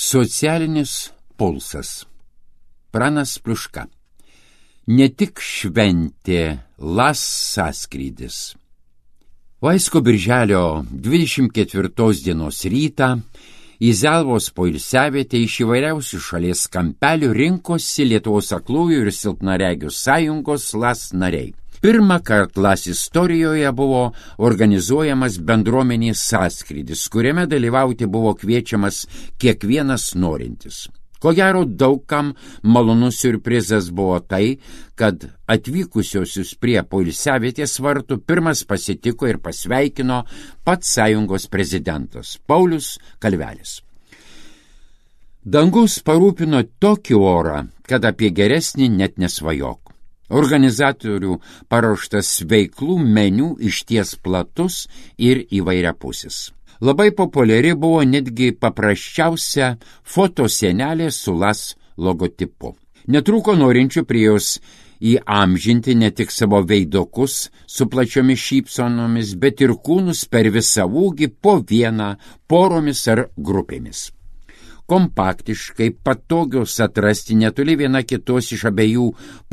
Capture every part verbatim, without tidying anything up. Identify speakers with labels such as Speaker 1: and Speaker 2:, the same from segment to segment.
Speaker 1: Socialinis pulsas. Pranas Pliuška. Ne tik šventė las sąskrydis. Vaisko birželio dvidešimt ketvirtos dienos rytą į Zelvos poilsiavietę iš įvairiausių šalies kampelių rinkosi Lietuvos aklųjų ir silpnaregių sąjungos las nariai. Pirmą kartą las istorijoje buvo organizuojamas bendruomenės sąskrydis, kuriame dalyvauti buvo kviečiamas kiekvienas norintis. Ko gero daugam malonus siurprizas buvo tai, kad atvykusiosius prie poilsiavietės vartų pirmas pasitiko ir pasveikino pats sąjungos prezidentas Paulius Kalvelis. Dangus parūpino tokį orą, kad apie geresnį net nesvajok. Organizatorių paruoštas veiklų meniu išties platus ir įvairiapusis. Labai populiari buvo netgi paprasčiausia fotosienelė su las logotipu. Netrūko norinčių prie jos įamžinti ne tik savo veidokus su plačiomis šypsonomis, bet ir kūnus per visą ūgį po vieną, poromis ar grupėmis. Kompaktiškai patogios atrasti netoli viena kitos iš abiejų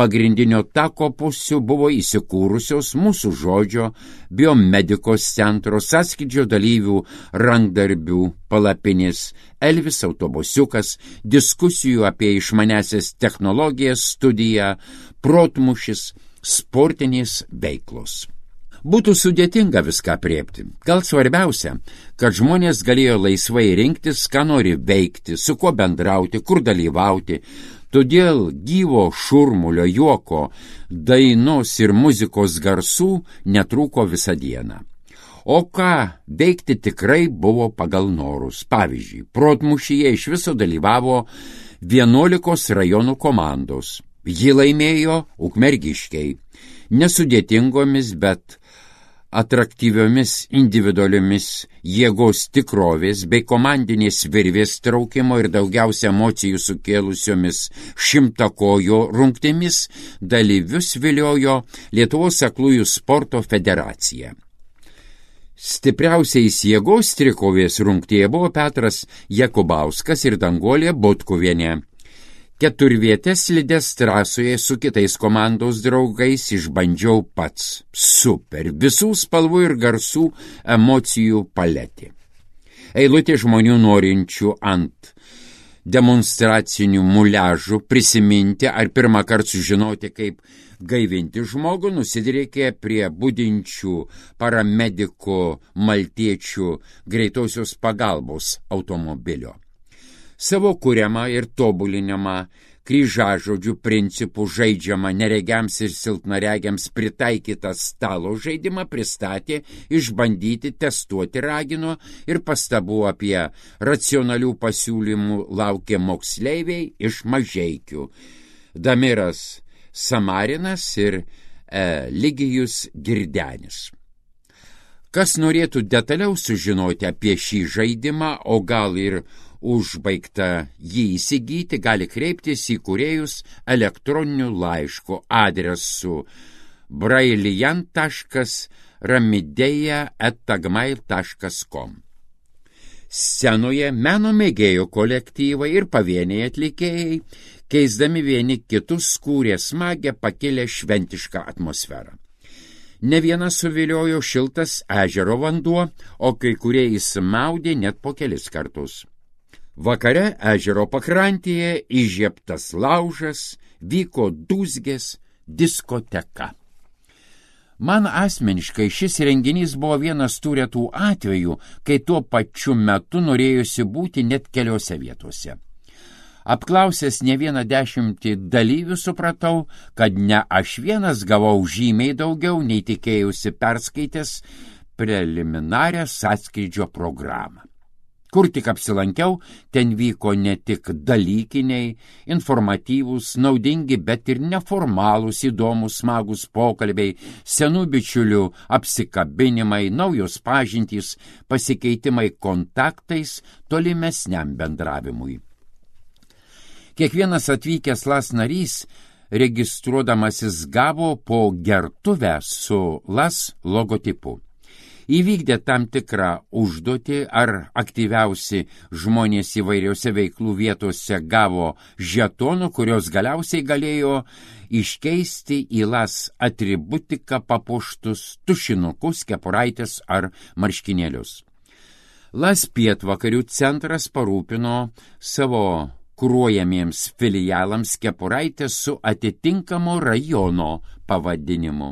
Speaker 1: pagrindinio tako pusių buvo įsikūrusios Mūsų žodžio, biomedikos centro, sąskrydžio dalyvių rankdarbių palapinės, Elvis autobusiukas, diskusijų apie išmanesias technologijas studija, protmūšis, sportinės veiklos. Būtų sudėtinga viską apriepti. Gal svarbiausia, kad žmonės galėjo laisvai rinktis, ką nori veikti, su kuo bendrauti, kur dalyvauti. Todėl gyvo šurmulio, juoko, dainos ir muzikos garsų netrūko visą dieną. O ką veikti tikrai buvo pagal norus. Pavyzdžiui, protmūšyje iš viso dalyvavo vienuolikos rajonų komandos. Ji laimėjo ukmergiškiai. Nesudėtingomis, bet atraktyviomis individualiomis jėgos tikrovės bei komandinės virvės traukimo ir daugiausia emocijų sukėlusiomis šimtakojo rungtimis dalyvius viliojo Lietuvos aklųjų sporto federacija. Stipriausiais jėgos trikovės rungtyje buvo Petras Jakubauskas ir Danguolė Butkuvienė. Keturvietės slides trasoje su kitais komandos draugais išbandžiau pats. Super, visų spalvų ir garsų emocijų paletė. Eilutė žmonių norinčių ant demonstracinių muliažų prisiminti ar pirmą kartą sužinoti, kaip gaivinti žmogų, nusidriekė prie budinčių paramedikų maltiečių greitosios pagalbos automobilio. Savo kuriamą ir tobulinamą kryžažodžių principų žaidžiamą neregiams ir silpnaregiams pritaikytą stalo žaidimą pristatė, išbandyti, testuoti ragino ir pastabų apie racionalių pasiūlymų laukė moksleiviai iš Mažeikių. Damiras Samarinas ir e, Ligijus Girdenis. Kas norėtų detaliau sužinoti apie šį žaidimą, o gal ir užbaigta jį įsigyti, gali kreiptis į kūrėjus elektroniniu laišku adresu brailian taškas ramideja eta gmail taškas com. Scenoje meno mėgėjų kolektyvai ir pavieniai atlikėjai, keisdami vieni kitus, kūrė smagę pakilę šventišką atmosferą. Ne vieną suviliojo šiltas ežero vanduo, o kai kurie įsimaudė net po kelis kartus. Vakare ežero pakrantėje įžiebtas laužas, vyko dūzgės diskoteka. Man asmeniškai šis renginys buvo vienas tų retų atvejų, kai tuo pačiu metu norėjusi būti net keliose vietose. Apklausęs ne vieną dešimtį dalyvių supratau, kad ne aš vienas gavau žymiai daugiau, nei tikėjusi perskaitęs preliminarią sąskrydžio programą. Kur tik apsilankiau, ten vyko ne tik dalykiniai, informatyvūs, naudingi, bet ir neformalūs, įdomus, smagus pokalbiai, senų bičiulių apsikabinimai, naujos pažintys, pasikeitimai kontaktais tolimesniam bendravimui. Kiekvienas atvykęs las narys, registruodamasis, gavo po gertuvę su las logotipu. įvykdė tam tikrą užduotį ar aktyviausi žmonės įvairiose veiklų vietose gavo žetonų, kurios galiausiai galėjo iškeisti į las atributiką papuoštus tušinukus, kepuraitės ar marškinėlius. Las pietvakarių centras parūpino savo kuruojamiems filialams kepuraitę su atitinkamo rajono pavadinimu.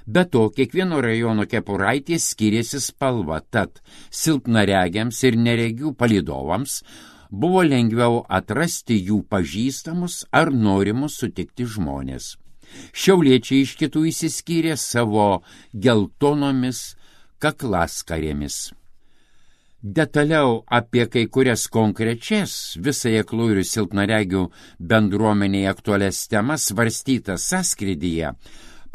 Speaker 1: Be to, kiekvieno rajono kepuraitė skiriasi spalva, tad silpnaregiams ir neregių palydovams buvo lengviau atrasti jų pažįstamus ar norimus sutikti žmonės. Šiauliečiai iš kitų išsiskyrė savo geltonomis kaklaskarėmis. Detaliau apie kai kurias konkrečias visai aklų ir silpnaregių bendruomeniai aktualias temas svarstytas sąskrydyje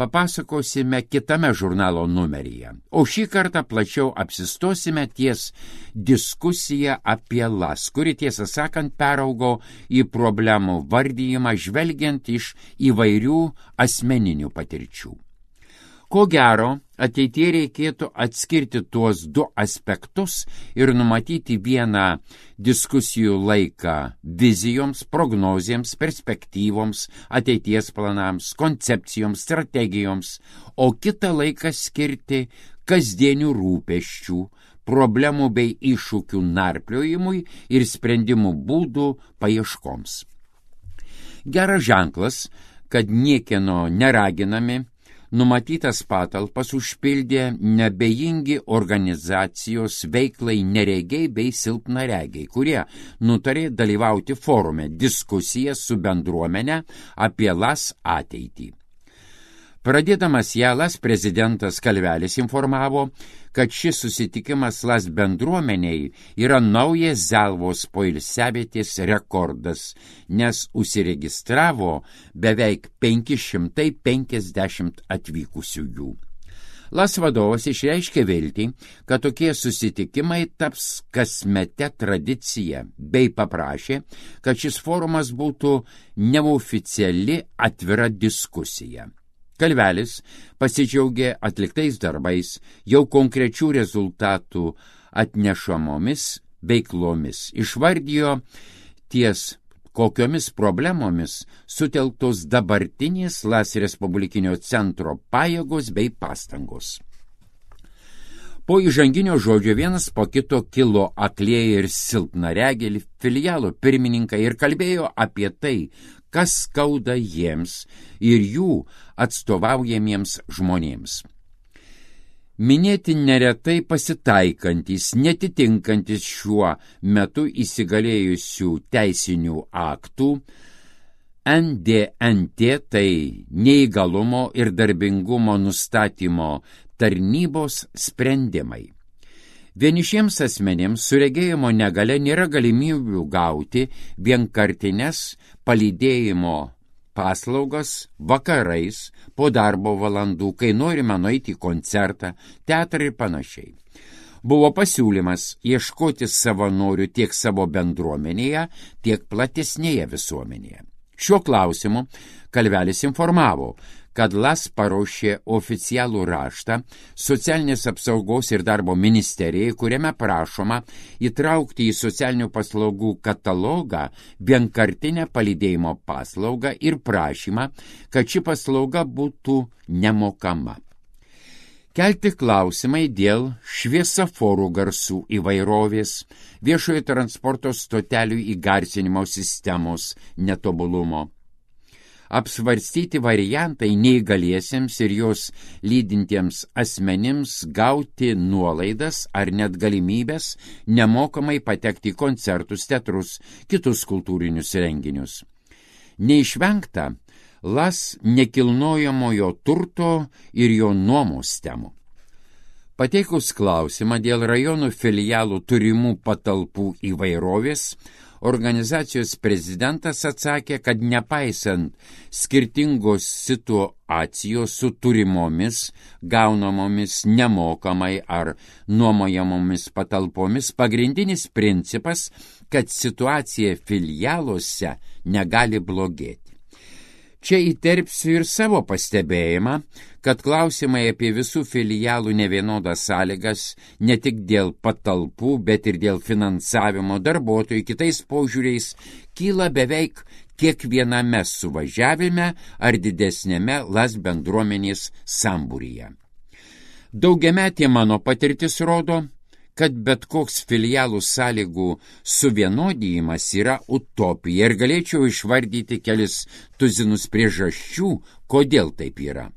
Speaker 1: papasakosime kitame žurnalo numeryje. O šį kartą plačiau apsistosime ties diskusiją apie las, kuri tiesą sakant peraugo į problemų vardijimą žvelgiant iš įvairių asmeninių patirčių. Ko gero, ateityje reikėtų atskirti tuos du aspektus ir numatyti vieną diskusijų laiką vizijoms, prognozėms, perspektyvoms, ateities planams, koncepcijoms, strategijoms, o kitą laiką skirti kasdienių rūpesčių, problemų bei iššūkių narpliojimui ir sprendimų būdų paieškoms. Geras ženklas, kad niekieno neraginami, numatytas patalpas užpildė nebejingi organizacijos veiklai neregiai bei silpnaregiai, kurie nutarė dalyvauti forume diskusiją su bendruomenė apie las ateitį. Pradėdamas ją, las prezidentas Kalvelis informavo, kad šis susitikimas las bendruomeniai yra naujas Zelvos poilsiavietės rekordas, nes užsiregistravo beveik penki šimtai penkiasdešimt atvykusiųjų. Las vadovas išreiškė viltį, kad tokie susitikimai taps kasmete tradicija, bei paprašė, kad šis forumas būtų neoficiali atvira diskusija. Kalvelis pasidžiaugė atliktais darbais, jau konkrečių rezultatų atnešamomis veiklomis. Išvardijo ties kokiomis problemomis sutelktos dabartinės Las Respublikinio centro pajėgos bei pastangos. Po įžanginio žodžio vienas po kito kilo aklieji ir silpnaregiai filialo pirmininkai ir kalbėjo apie tai, kas skauda jiems ir jų atstovaujamiems žmonėms. Minėti neretai pasitaikantis, netitinkantys šiuo metu įsigalėjusių teisinių aktų, N D N T, tai neįgalumo ir darbingumo nustatymo tarnybos sprendimai. Vienišiems asmenėms su regėjimo negale nėra galimybių gauti vienkartines palydėjimo paslaugas vakarais po darbo valandų, kai norime nueiti į koncertą, teatrą ir panašiai. Buvo pasiūlymas ieškoti savanorių tiek savo bendruomenėje, tiek platesnėje visuomenėje. Šiuo klausimu Kalvelis informavo, kad Las paruošė oficialų raštą Socialinės apsaugos ir darbo ministerijai, kuriame prašoma įtraukti į socialinių paslaugų katalogą vienkartinę palydėjimo paslaugą ir prašymą, kad ši paslauga būtų nemokama. Kelti klausimai dėl šviesoforų garsų įvairovės, viešojo transporto stotelių įgarsinimo sistemos netobulumo. Apsvarstyti variantai neįgaliesiems ir jos lydintiems asmenims gauti nuolaidas ar net galimybės nemokamai patekti į koncertus, teatrus, kitus kultūrinius renginius. Neišvengta Las nekilnojamojo turto ir jo nuomos temų. Pateikus klausimą dėl rajonų filialų turimų patalpų įvairovės, organizacijos prezidentas atsakė, kad nepaisant skirtingos situacijos su turimomis, gaunamomis nemokamai ar nuomojamomis patalpomis, pagrindinis principas, kad situacija filialuose negali blogėti. Čia įterpsiu ir savo pastebėjimą, kad klausimai apie visų filialų nevienodas sąlygas ne tik dėl patalpų, bet ir dėl finansavimo darbuotojų kitais požiūriais kyla beveik kiekviename suvažiavime ar didesnėme las bendruomenės sambūryje. Daugiametė mano patirtis rodo, kad bet koks filialų sąlygų suvienodijimas yra utopija ir galėčiau išvardyti kelis tuzinus priežasčių, kodėl taip yra.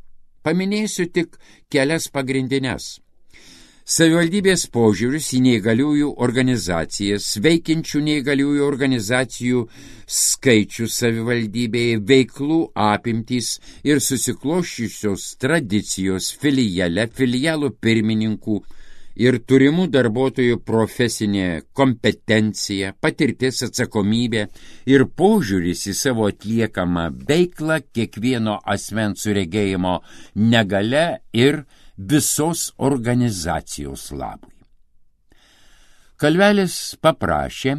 Speaker 1: Paminėsiu tik kelias pagrindines. Savivaldybės požiūris į neįgaliųjų organizacijas, veikiančių neįgaliųjų organizacijų skaičius savivaldybėje, veiklų apimtys ir susikloščiusios tradicijos filiale, filialų pirmininkų ir turimų darbuotojų profesinė kompetencija, patirtis, atsakomybė ir požiūris į savo atliekamą veiklą kiekvieno asmens su regėjimo negalia ir visos organizacijos labui. Kalvelis paprašė,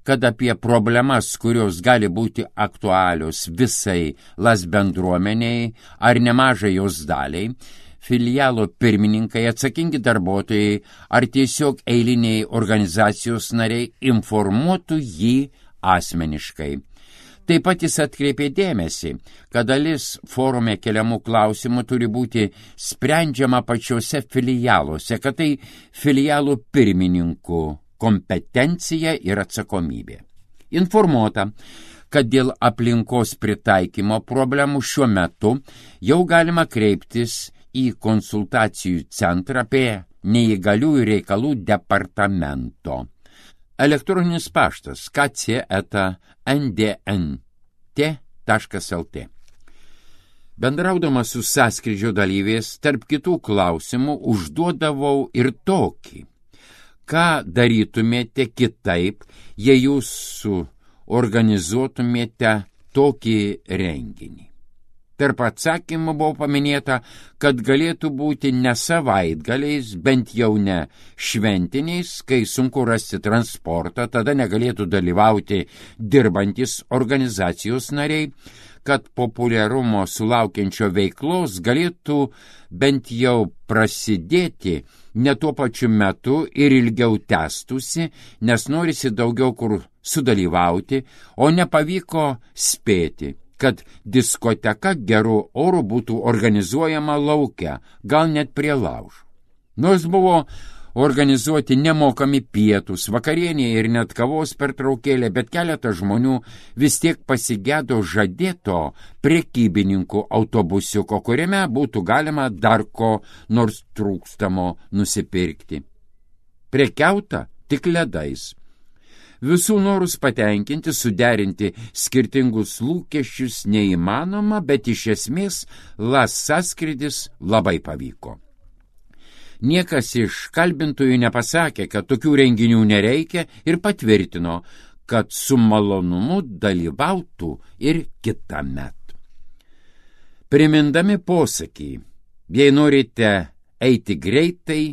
Speaker 1: kad apie problemas, kurios gali būti aktualios visai las bendruomeniai ar nemažai jos daliai, filialo pirmininkai, atsakingi darbuotojai ar tiesiog eiliniai organizacijos nariai informuotų jį asmeniškai. Taip pat jis atkreipė dėmesį, kad dalis forume keliamų klausimų turi būti sprendžiama pačiose filialuose, kad tai filialų pirmininkų kompetencija ir atsakomybė. Informuota, kad dėl aplinkos pritaikymo problemų šiuo metu jau galima kreiptis į konsultacijų centrą prie neįgaliųjų reikalų departamento. Elektroninis paštas k c eta n d n t taškas l t. Bendraudamas su sąskrydžio dalyviais, tarp kitų klausimų užduodavau ir tokį. Ką darytumėte kitaip, jei jūs organizuotumėte tokį renginį? Tarp atsakymų buvo paminėta, kad galėtų būti ne savaitgaliais, bent jau ne šventiniais, kai sunku rasti transportą, tada negalėtų dalyvauti dirbantis organizacijos nariai, kad populiarumo sulaukiančio veiklos galėtų bent jau prasidėti ne tuo pačiu metu ir ilgiau tęstusi, nes norisi daugiau kur sudalyvauti, o nepavyko spėti, kad diskoteka gerų orų būtų organizuojama lauke, gal net prie laužo. Nors buvo organizuoti nemokami pietus, vakarienė ir net kavos pertraukėlė, bet keletas žmonių vis tiek pasigėdo žadėto prekybininkų autobusiuko, kuriame būtų galima dar ko nors trūkstamo nusipirkti. Prekiauta tik ledais. Visų norus patenkinti, suderinti skirtingus lūkesčius neįmanoma, bet iš esmės las sąskrydis labai pavyko. Niekas iš kalbintojų nepasakė, kad tokių renginių nereikia ir patvirtino, kad su malonumu dalyvautų ir kitąmet. Primindami posakį, jei norite eiti greitai,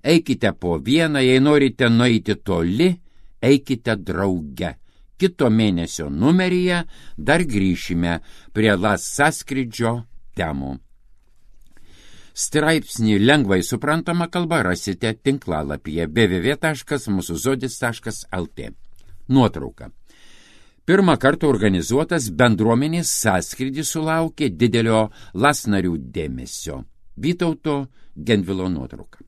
Speaker 1: eikite po vieną, jei norite nueiti toli, eikite drauge. Kito mėnesio numeryje dar grįšime prie las sąskrydžio temų. Straipsnį lengvai suprantama kalba rasite tinklalapyje w w w taškas mūsų žodis taškas l t. Nuotrauka. Pirmą kartą organizuotas bendruomenės sąskrydis sulaukė didelio las narių dėmesio. Vytauto Gentvilo nuotrauka.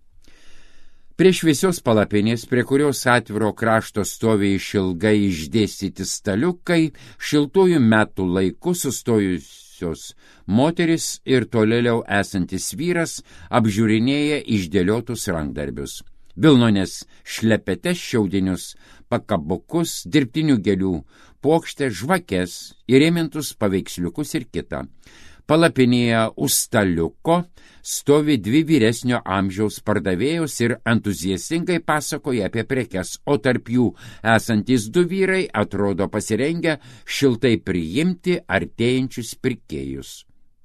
Speaker 1: Prie šviesios palapinės, prie kurios atviro krašto stovi išilgai išdėstyti staliukai, šiltųjų metų laiku sustojusios moteris ir tolėliau esantis vyras apžiūrinėja išdėliotus rankdarbius. Vilnonės šlepetes, šiaudinius pakabukus, dirbtinių gėlių puokštę, žvakes, įrėmintus paveiksliukus ir kitą. Palapinėje už staliuko stovi dvi vyresnio amžiaus pardavėjos ir entuziastingai pasakoja apie prekes, o tarp jų esantys du vyrai atrodo pasirengę šiltai priimti artėjančius pirkėjus.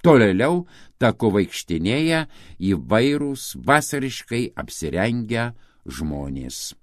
Speaker 1: Tolėliau taku vaikštinėja įvairūs vasariškai apsirengę žmonės.